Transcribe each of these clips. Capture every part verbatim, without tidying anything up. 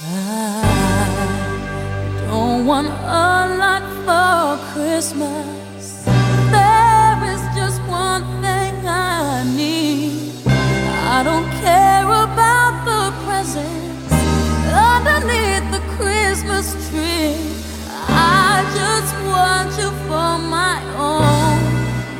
I don't want a lot for Christmas. There is just one thing I need. I don't care about the presents underneath the Christmas tree. I just want you for my own,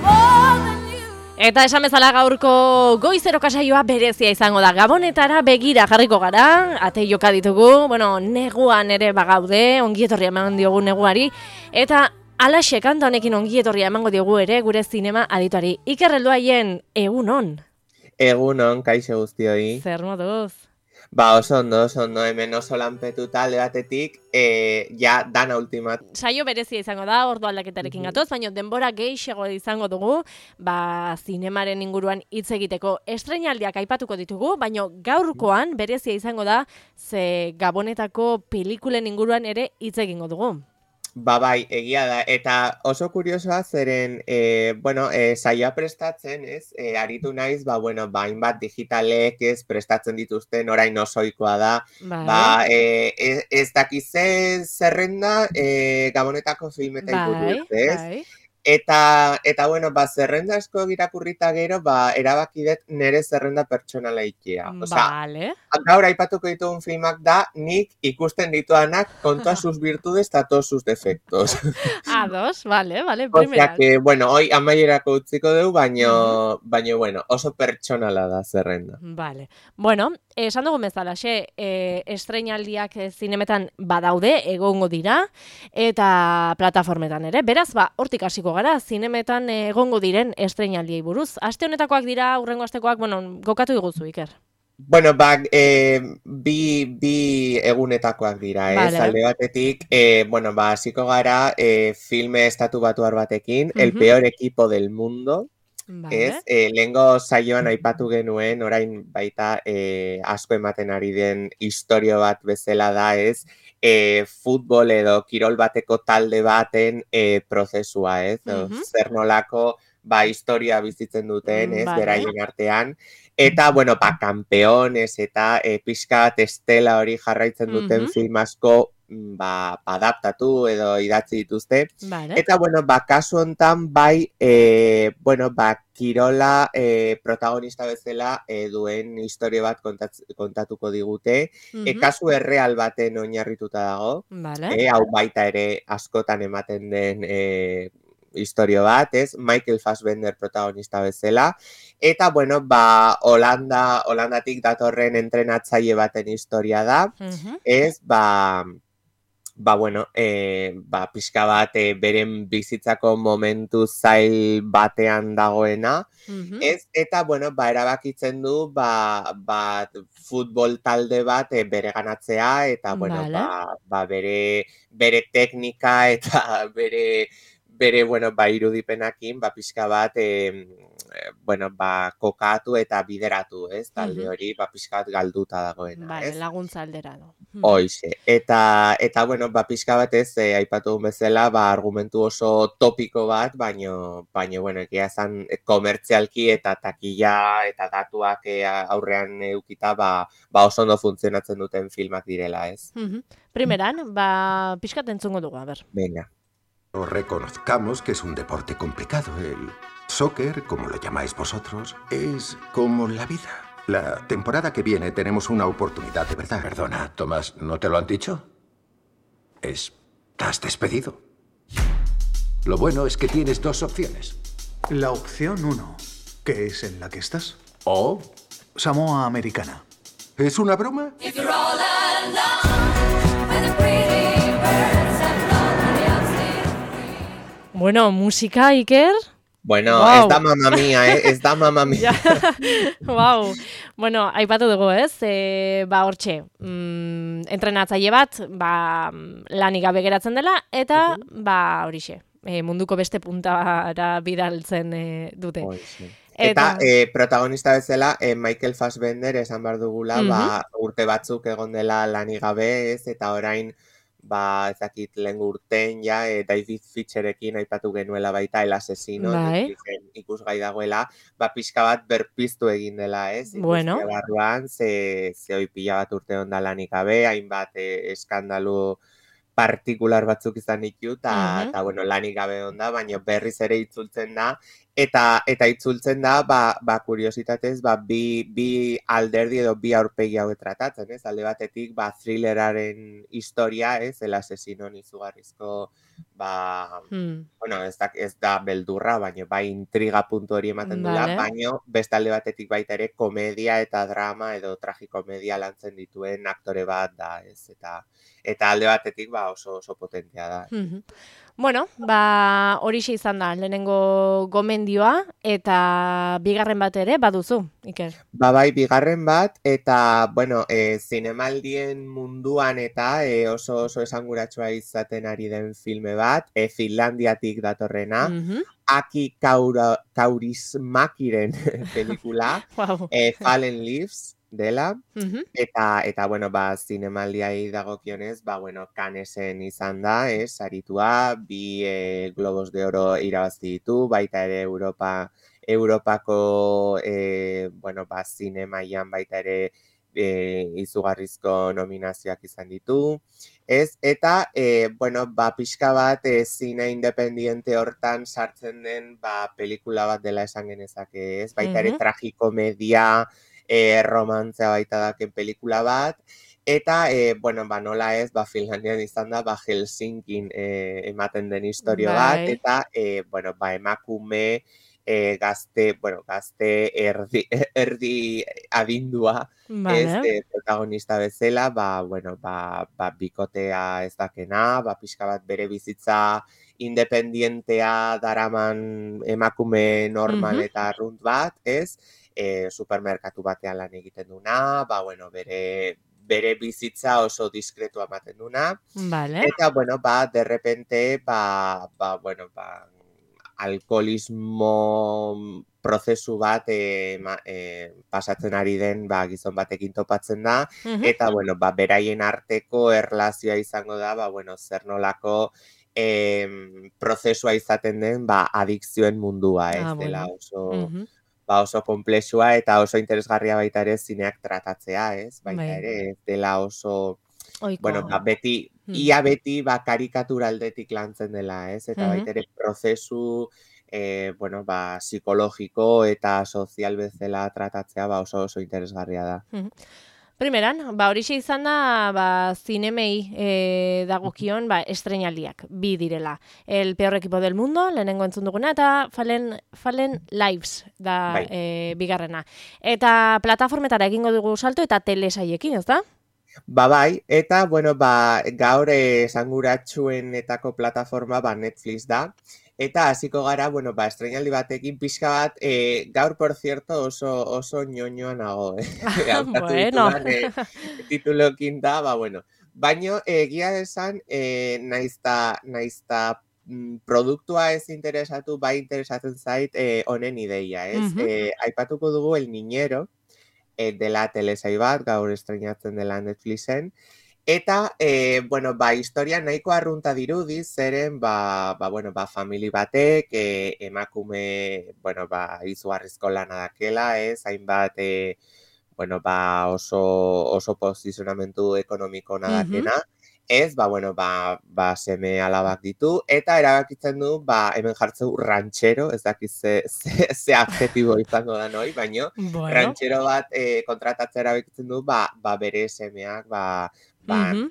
more than you. Eta esan bezala gaurko goizero kasaioa berezia izango da. Gabonetara begira jarriko gara, ate joka ditugu, bueno, neguan ere bagaude, ongietorria eman diogu neguari, eta alaxe kanta honekin ongietorria emango diogu ere gure zinema adituari. Iker Helduaien, egunon. Egunon, kaixo guztioi. Zer moduz? Ba, oso ondo, oso ondo, hemen oso lanpetuta alde batetik, e, ja, dana ultimat. Saio berezia izango da, ordu aldaketarekin Mhm. gatoz, baina denbora gehiago izango dugu, ba, zinemaren inguruan hitz egiteko estreinaldiak aipatuko ditugu, baina gaurkoan berezia izango da, ze Gabonetako pelikulen inguruan ere hitz egingo dugu. Ba, bai, egia da, eta oso kuriosoa zeren, e, bueno, e, saioa prestatzen, ez, e, aritu naiz, ba, bueno, ba, hainbat digitalek, ez, prestatzen dituzten, orain osoikoa da, Bai. ba, e, ez, ez dakize zerrenda, e, Gabonetako filmetei Bai, buruz, ez? bai. Eta, eta bueno, ba, zerrenda asko irakurrita gero, ba, erabaki dut nire zerrenda pertsonala ikia. Osea, Vale. gaur aipatuko ditugun filmak da, nik ikusten dituanak con todas sus virtudes eta todos sus defectos. A dos, vale, vale, Osea primera. que, bueno, hoy amaierako utziko dugu, baino, baino, bueno, oso pertsonala da zerrenda. Vale. Bueno, esan dugu bezalaxe, e, estreinaldiak eh, zinemetan badaude, egongo dira, eta plataformetan ere. Beraz, ba, hortik hasiko gara, zinemetan eh, egongo diren estreinaldiei buruz. Aste honetakoak dira, hurrengo astekoak, bueno, gokatu iguzu, Iker. Bueno, ba, e, bi, bi egunetakoak dira, ez? Vale. Alde batetik, e, bueno, ba, hasiko gara e, filme estatu batuar batekin, El Mhm. peor equipo del mundo, Vale. ez? E, lehengo saioan aipatu genuen, orain baita e, asko ematen ari den istorio bat bezala da, ez? E, futbol edo kirol bateko talde baten e, prozesua, ez? O, Mhm. zer nolako, ba, historia bizitzen duten, ez? Vale. Beraien artean. Eta, bueno, ba, kampeones eta e, pixka bat estela hori jarraitzen duten Mhm. film asko ba, adaptatu edo idatzi dituzte. Vale. Eta, bueno, ba, kasu hontan bai, e, bueno, ba, kirola e, protagonista bezala e, duen historia bat kontatz, kontatuko digute. E, Mhm. kasu erreal baten oinarrituta dago. Vale. E, hau baita ere askotan ematen den e, historio bat, ez? Michael Fassbender protagonista bezala. Eta, bueno, ba, Holanda, Holandatik datorren entrenatzaile baten historia da. Mhm. Ez, ba, ba, bueno, e, ba, pixka bat e, beren bizitzako momentu zail batean dagoena. Mhm. Ez, eta, bueno, ba, erabakitzen du, ba, ba, futbol talde bat e, bere ganatzea, eta, bueno, Vale. ba, ba, bere, bere teknika eta bere, bere, bueno, ba, irudipenakin, ba, pixka bat, e, bueno, ba, kokatu eta bideratu, ez, talde Mhm. hori, ba, pixka bat galduta dagoena, Vale, ez? laguntza aldera du. Mhm. Hoize, eta, eta bueno, ba, pixka bat ez, e, aipatu duen bezala, ba, argumentu oso topiko bat, baino, baino, bueno, egia esan e, komertzialki eta takila eta datuak e, aurrean eukita, ba, ba oso ondo funtzionatzen duten filmak direla, ez? Mhm. Primeran, ba, pixkat entzungo dugu, a ber. Venga. Reconozcamos que es un deporte complicado. El soccer, como lo llamáis vosotros, es como la vida. La temporada que viene tenemos una oportunidad de verdad. Perdona, Tomás, ¿no te lo han dicho? Estás despedido. Lo bueno es que tienes dos opciones. La opción uno, que es en la que estás. O Samoa Americana. ¿es una broma? If you're all alone with the pretty birds that float on the ocean. Bueno, musika, Iker. Bueno, Wow. ez da mamma mia, eh? Ez da mamma mia. Ja, wow. Bueno, aipatu dugu, ez? E, ba, hortxe, mm, entrenatzaile bat, ba, lanik gabe geratzen dela, eta, ba, horixe, e, munduko beste puntara bidaltzen e, dute. Hoize. Eta, e, protagonista bezala, e, Michael Fassbender esan behar dugula, Mhm. ba, urte batzuk egon dela lanik gabe, ez, eta orain, ba, ezakit lehen urten ja, e, David Fincherekin aipatu genuela baita El Asesino, Bai. Netflixen ikusgai dagoela, ba, pixka bat berpiztu egin dela, ez? Bueno. Industria barruan, ze, ze hoi pila bat urte onda lanik gabe, hainbat e, eskandalu partikular batzuk izan ditu, eta, Mhm. bueno, lanik gabe onda, baina berriz ere itzultzen da, eta eta itzultzen da, ba, ba kuriositatez, ba, bi, bi alderdi edo bi aurpegi hauek tratatzen, ez? Alde batetik, ba, thrilleraren historia, ez? El Asesinon izugarrizko, ba, Hmm. bueno, ez da, ez da beldurra, baina bai intriga puntu hori ematen dula, Vale. baina beste alde batetik baita ere komedia eta drama edo tragikomedia lantzen dituen aktore bat da, ez? Eta eta alde batetik ba oso oso potentea da. Mhm. Bueno, ba horixe izan da lehenengo gomendioa eta bigarren bat ere baduzu, Iker. Ba bai, bigarren bat, eta, bueno, e, zinemaldien munduan eta e, oso oso esanguratsua izaten ari den filme bat, e, Finlandiatik datorrena, Mhm. Aki Kaura, Kaurismäkiren pelikula, Wow. e, Fallen Leaves dela, Mhm. eta, eta bueno, ba, zinemaldiai dagokionez, ba, bueno, Cannesen izan da, ez, saritua, bi e, Globos de Oro irabazi ditu, baita ere Europa, Europako, e, bueno, ba, zinemaian baita ere e, izugarrizko nominazioak izan ditu, ez, eta, e, bueno, ba, pixka bat, e, zine independiente hortan sartzen den, ba, pelikula bat dela esan genezake, ez, baita ere Mhm. tragikomedia, e, romantzea baita daken pelikula bat, eta, e, bueno, ba, nola ez, ba, Finlandian izan da, ba, Helsinkin e, ematen den historio bat, Bai. eta, e, bueno, ba, emakume e, gazte, bueno, gazte erdi, erdi adindua, ez, Vale. e, protagonista bezala, ba, bueno, ba, ba, bikotea ez dakena, ba, pixka bat bere bizitza independientea daraman emakume normal Mhm. eta arrunt bat, ez, e, supermerkatu batean lan egiten duna, ba, bueno, bere, bere bizitza oso diskretua ematen duna, Vale. eta, bueno, ba, de repente, ba, ba, bueno, ba, alkoholismo prozesu bat e, ma, e, pasatzen ari den ba, gizon batekin topatzen da, Mhm. eta, bueno, ba, beraien arteko erlazioa izango da, ba, bueno, zer nolako em, prozesua izaten den, ba, adikzioen mundua, ez, Ah, dela bueno. oso, Mhm. ba, oso komplexua eta oso interesgarria baita ere zineak tratatzea, ez, baita Bai. ere, ez dela oso, bueno, ba, Ohikoa. beti, Hmm. ia beti, ba, karikatura aldetik lantzen dela, ez, eta Mhm. baita ere prozesu, e, bueno, ba, psikologiko eta sozial bezala tratatzea, ba, oso oso interesgarria da. Mhm. Primeran, ba horixe izan da, ba, zinemei e, dagokion, ba, estrenaldiak, bi direla. El peor equipo del mundo, lehenengo entzun duguna, eta Fallen, Fallen Lives da Bai. e, bigarrena. Eta plataformetara egingo dugu salto eta telesaiekin, ez da? Ba bai, eta, bueno, ba, gaur esanguratsuenetako plataforma, ba, Netflix da, eta hasiko gara, bueno, ba, estreinaldi batekin pixka bat, e, gaur, por cierto, oso, oso ñoñoa nago, eh? Hautatu Bueno. ditudan, e, titulokin da, ba, bueno. Baino, egia esan, e, naizta, naizta mm, produktua ez interesatu, bai interesatzen zait e, honen ideia, ez? Mhm. E, aipatuko dugu El Niñero, e, dela telesai bat, gaur estreinatzen dela Netflixen, eta, e, bueno, ba, historia nahiko arrunta dirudi, zeren, ba, ba, bueno, ba, famili batek, e, emakume, bueno, ba, izugarrizko lana dakela, ez, hainbat, e, bueno, ba, oso, oso posizionamentu ekonomiko Mhm. nadakena, ez, ba, bueno, ba, ba, seme alabak ditu, eta erabakitzen du, ba, hemen jartzeu ranchero, ez dakiz ze, ze, ze adjetibo izango da noi, baino, Bueno. ranchero bat e, kontratatzea erabakitzen du, ba, ba, bere semeak, ba, ba, Mhm.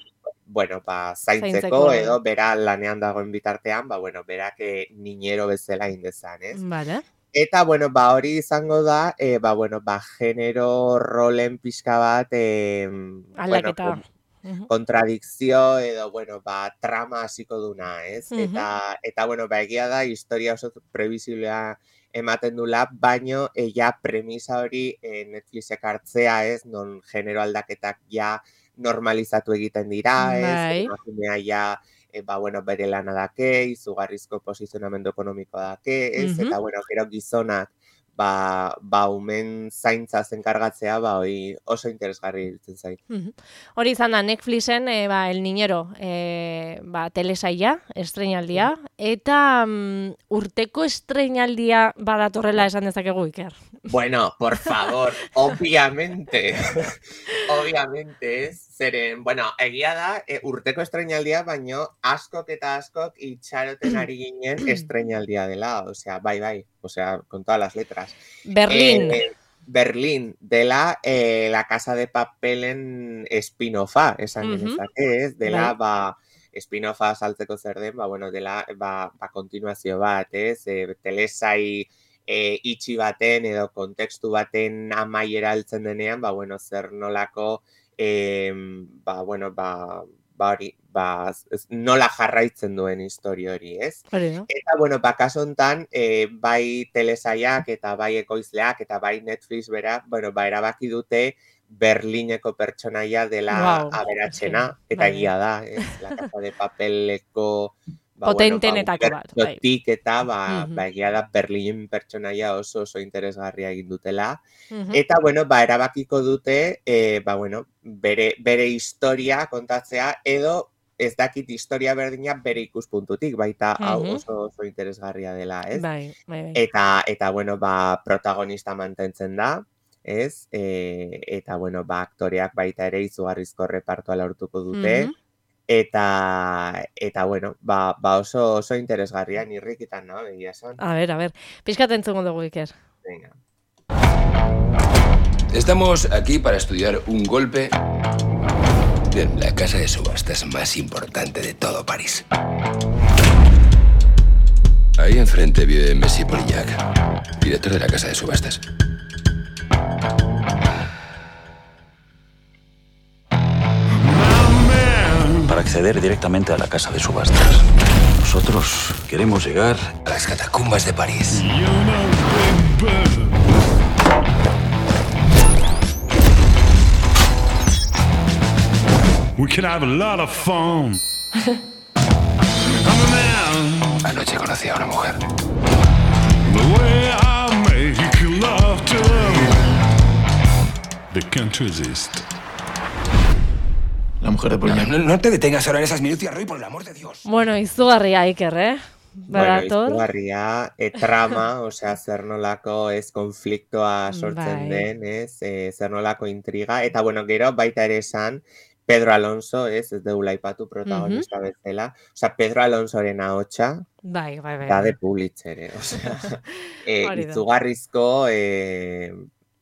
bueno, ba, zaintzeko, Zaintzeko. edo bera lanean dagoen bitartean, ba, bueno, berak e, niñero bezala indezan, ez? Vale. Eta, bueno, ba, hori izango da, e, ba, bueno, ba, genero rolen pixka bat, e, bueno, Aldaketa. kon, Mhm. kontradikzio edo, bueno, ba, trama hasiko duna, ez? Mhm. Eta, eta, bueno, ba, egia da, historia oso previsiblea ematen dula, baino, e, ja, premisa hori e, Netflixek hartzea, ez? Non genero aldaketak ja normalizatu egiten dira, ez? Bai. Emakumea ja, e, ba, bueno, bere lana dake, izugarrizko posizionamendu ekonomikoa dake, ez? Mhm. Eta, bueno, gero gizonak, ba, ba umen zaintza zenkargatzea, ba, hori oso interesgarri iruditzen zait. Hori izan da, Netflixen, e, ba, El Niñero, e, ba, telesaia, estreinaldia, eta mm, urteko estreinaldia badatorrela esan dezakegu, Iker. Bueno, por favor, obviamente, obviamente ez, zeren, bueno, egia da, e, urteko estreinaldia, baino askok eta askok itxaroten ari ginen estreinaldia dela, osea, bai, bai, osea, con todas las letras. Berlín. Eh, Berlín, dela eh, La Casa de Papelen spin-offa, esan Mhm. genezake, ez, dela, Bai. ba, spin-offa saltzeko zer den, ba, bueno, dela, ba, ba kontinuazio bat, ez, e, telesai e, itxi baten edo kontekstu baten amaiera heltzen denean, ba, bueno, zer nolako, e, ba, bueno, ba, ba hori, ba, ez- nola jarraitzen duen historia hori, ez? Hori da. Eta, bueno, ba, kasu honetan, e, bai telesaiak eta bai ekoizleak eta bai Netflix bera, bueno, ba, erabaki dute Berlineko pertsonaia dela Guau, aberatsena, eske, eta bai, egia da, ez? La Casa de Papeleko ba, Potentenetako bat, bai. unibertsotik eta ba, Mhm. ba, egia da Berlin pertsonaia oso oso interesgarria egin dutela. Mhm. Eta, bueno, ba, erabakiko dute, e, ba, bueno, bere, bere historia kontatzea, edo ez dakit historia berdina bere ikuspuntutik, baita hau Mhm. oso oso interesgarria dela, ez? Bai, bai, bai. Eta, eta bueno, ba, protagonista mantentzen da, ez? E, eta, bueno, ba, aktoreak baita ere izugarrizko repartoa lortuko dute, Mhm. eta, eta, bueno, ba, ba oso, oso interesgarria, nirrikitan, no? Egia esan. A ber, a ber. Pixkat entzungo dugu, Iker. Venga. Estamos aquí para estudiar un golpe en la casa de subastas más importante de todo París. Ahí enfrente vive Messi Polillac, director de la casa de subastas. Para acceder directamente a la casa de subastas. Nosotros queremos llegar A las catacumbas de París. We can have a lot of fun. I'm a man. Anoche conocí a una mujer. The way I make love to them, they can't resist. la mujer de No, Poliñac. no, no te detengas ahora en esas minucias, Roy, por el amor de Dios. Bueno, izugarria, Iker, eh? Bueno, Badator. izugarria, e, trama, osea, zer nolako ez konfliktoa sortzen Bai. den, ez, e, zer nolako intriga, eta, bueno, gero baita ere esan, Pedro Alonso, ez, ez deula aipatu protagonista bezala, osea, Pedro Alonsoren ahotsa, Bai, bai, bai. da bai. de Pulitzer, eh? Osea, e, Hori da. izugarrizko, e,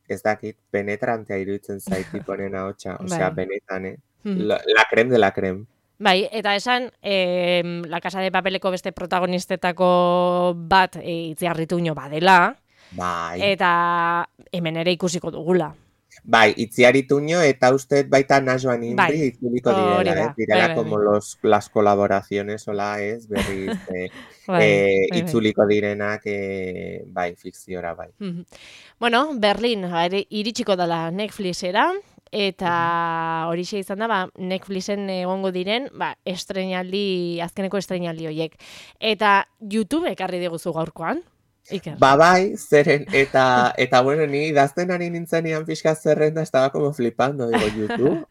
ez dakit, penetrantea iruditzen zait tiponen ahotsa, osea, Bai. benetan, eh? Mhm. La, la creme de la creme. Bai, eta esan, eh, La Casa de Papeleko beste protagonistetako bat e, Itziarrituño badela, Bai. eta hemen ere ikusiko dugula. Bai, Itziar Ituño eta uste baita Najoan Inbri Bai, itzuliko hori direla, da, ez? Direla bai, bai, como bai. los, las colaboraciones, hola, ez? Berriz, eh, Bai, eh, bai, bai. itzuliko direnak, eh, bai, fikziora, bai. Mhm. Bueno, Berlin ere iritsiko dela Netflixera, eta horixe izan da, ba, Netflixen egongo diren, ba, estreinaldi, azkeneko estreinaldi horiek. Eta YouTube ekarri diguzu gaurkoan, Iker. Ba, bai, zeren, eta, eta bueno, ni idazten ari nintzenean pixka zerrenda, estaba como flipando, digo, YouTube.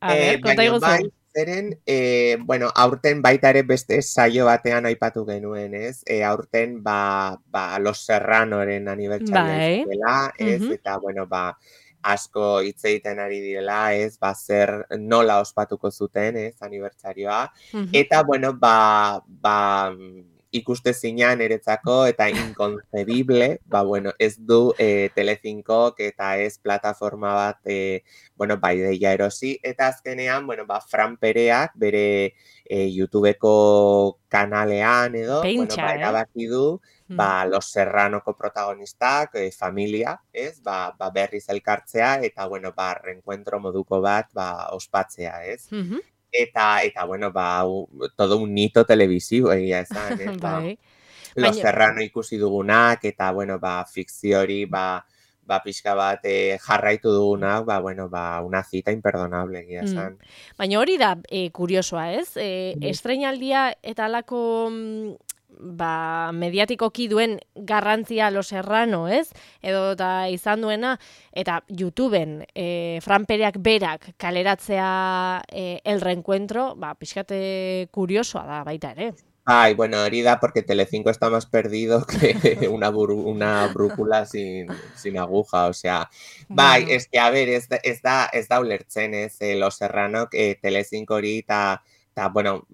A Eh, ver, konta baina iguzu. bai, zeren, eh, bueno, aurten baita ere beste saio batean aipatu genuen, ez? Eh, aurten, ba, ba, Los Serranoren anibertsaria Bai. izan dela, ez? Mhm. Eta, bueno, ba, asko hitz egiten ari direla, ez? Ba, zer nola ospatuko zuten, ez? Anibertsarioa. Mhm. Eta, bueno, ba, ba, ikuste zinean eretzako eta inconcebible, ba, bueno, ez du eh, Telecincok eta ez plataforma bat, eh, bueno, ba, ideia erosi, eta azkenean, bueno, ba, Fran Pereak bere eh, YouTubeko kanalean edo, bueno, Pentsa, ba, eh? erabaki du, ba, Los Serranoko protagonistak, eh, familia, ez, ba, ba, berriz elkartzea, eta, bueno, ba, reencuentro moduko bat, ba, ospatzea, ez? Mhm. Eta, eta, bueno, ba, u- todo un hito televisivo, egia esan, ez? Ba, Bai. Los Baina- Serrano ikusi dugunak, eta, bueno, ba, fikziori, ba, ba, pixka bat eh, jarraitu dugunak, ba, bueno, ba, una cita imperdonable, egia Mm. esan. Baina hori da e, kuriosoa, ez? E, Mhm. estreinaldia eta alako mm, ba, mediatikoki duen garrantzia Los Serrano, ez? Edo eta izan duena, eta YouTubeen e, Fran Pereak berak kaleratzea e, El Reencuentro, ba, pixkate kuriosoa da baita ere. Ay, bueno, hori da porque Telecinco está más perdido que una, bru- una brújula sin, sin aguja, o sea, bai, Bueno. es que, a ver, ez da, ez da, ez da ulertzen, ez, eh, Los Serrano, eh, Telecinco hori, eta, eta, bueno,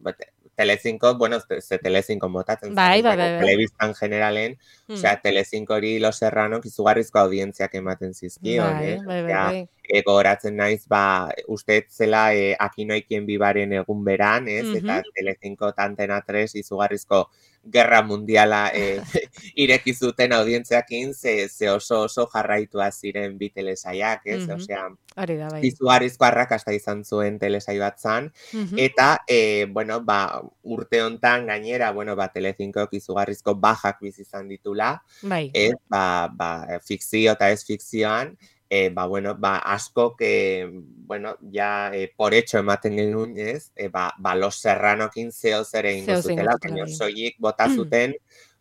Telecinco, bueno, ze Telecinco motatzen Bai, bai, zen, bai, bai. telebistan generalen, Mm. osea, Telecinco hori Los Serrano izugarrizko audientziak ematen zizkion, Bai, eh? bai, bai, Osea, bai. e, gogoratzen naiz, ba, uste zela e, Aquí no hay quien vivaren egun beran, ez? Eta Mhm. Telecinco eta Antena tres izugarrizko gerra mundiala e, ireki zuten audientziakin, ze, ze oso oso jarraitua ziren bi telesaiak, ez? Mhm. Osea, Hori da, bai. izugarrizko arrakasta izan zuen telesaio bat zan, Mhm. eta, e, bueno, ba, urte hontan gainera, bueno, ba, Telecincoak izugarrizko bajak bizi izan ditula, Bai. ez, ba, ba, fikzio eta ez fikzioan, e, ba, bueno, ba, asko que, bueno, ja, e, por hecho ematen genuen, ez, e, ba, ba, Los Serranokin zeo zer egingo Zeo zer zutela, egingo baina zutela, bai. soilik bota zuten,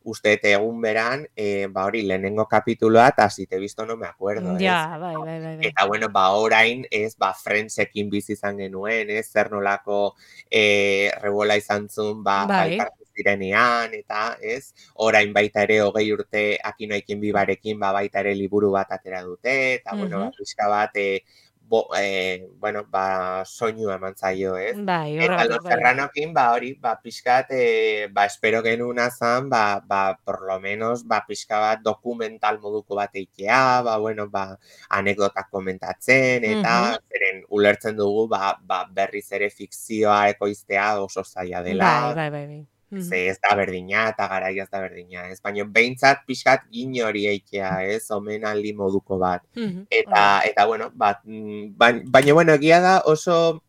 uste egun beran, e, ba, hori, lehenengo kapituloa, eta si te he visto no me acuerdo, ez? Ja, bai, bai, bai, bai. Eta, bueno, ba, orain, ez, ba, Friendsekin bizi izan genuen, ez, zer nolako e, rebola izan zuen, ba, ba, Bai. elkartu zirenean, eta, ez, orain baita ere hogei urte Aquí no hay quien vivarekin, ba, baita ere liburu bat atera dute, eta, bueno, ba, Mhm. pixka bat, e, bo, e, bueno, ba, soinua eman zaio, ez? Bai, Eta horregatik, Los bai. Serranokin, ba, hori, ba, pixkat, e, ba, espero genuna zan, ba, ba, por lo menos, ba, pixka bat dokumental moduko bat eitea, ba, bueno, ba, anekdotak komentatzen, eta Mhm. zeren ulertzen dugu, ba, ba, berriz ere fikzioa ekoiztea oso zaila Bai, dela, bai, bai, bai. Mhm. ze ez da berdina, eta garaia ez da berdina, ez? Baina behintzat pixkat gine hori eitea, ez? Omenaldi moduko bat. Mhm. Eta, eta bueno, bat, mm, baina, baina, bueno, egia da oso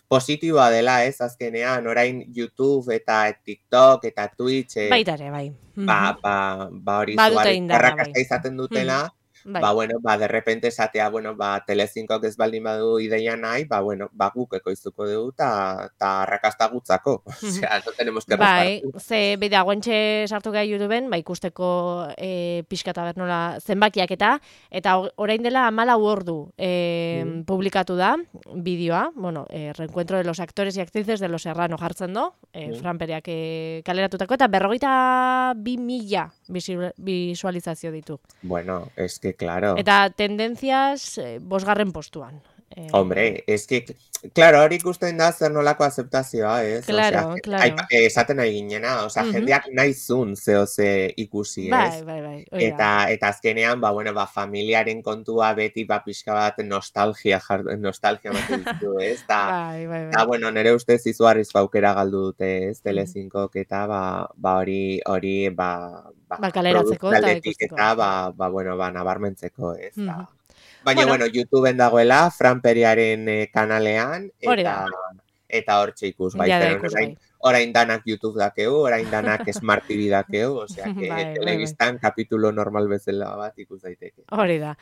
positiboa dela, ez, azkenean, orain YouTube eta TikTok eta Twitch, eh, Baita ere, bai. ba, Mhm. ba, ba hori Badute zugarrizko indarra, bai. arrakasta izaten dutela, Bai. ba, bueno, ba, de repente esatea, bueno, ba, Telecincoak ez baldin badu ideia nahi, ba, bueno, ba, guk ekoiztuko dugu, eta ta arrakasta gutzako. Osea, no tenemos que Bai, repartir. ze bida guentxe sartu gai YouTubeen, ba ikusteko e, pixkata ber nola zenbakiak eta eta o- orain dela hamalau ordu e, Mm. publikatu da bideoa, bueno, e, Reencuentro de los actores y actrices de Los Serrano jartzen do, e, Mm. Fran Pereak e, kaleratutako, eta berrogeita bi mila bisu- visualizazio ditu. Bueno, es que claro. Eta tendentziaz e, bosgarren postuan. E, Hombre, es que, claro, hori ikusten da zer nolako aceptazioa, ez? Claro, Osea, claro. aipa- eh, esaten nahi ginena, osea, Mhm. jendeak nahi zun zeo ze ikusi, Bai, ez? bai, bai, hori da. Eta, eta azkenean, ba, bueno, ba, familiaren kontua beti, ba, pixka bat nostalgia, jar, nostalgia ematen dizu, ez? Ta, Bai, bai, ta, bai. bueno, nire ustez izugarrizko aukera galdu dute, ez? Telecincoak eta, ba, ba, hori, hori, ba, ba, Ba, kaleratzeko eta produkzioaldetik ikusteko. eta, ba, ba, bueno, ba, nabarmentzeko, ez? Mhm. Ta, baina, Bueno. bueno, YouTubeen dagoela, Fran Periaren eh, kanalean, Hori eta da. eta hortxe ikus, bai, Jada zeren ikus, orain, bai. orain danak YouTube dakeu, orain danak Smart T V dakeu, osea, que Bai, bai, bai. telebistan kapitulo normal bezala bat ikus daiteke. Hori da.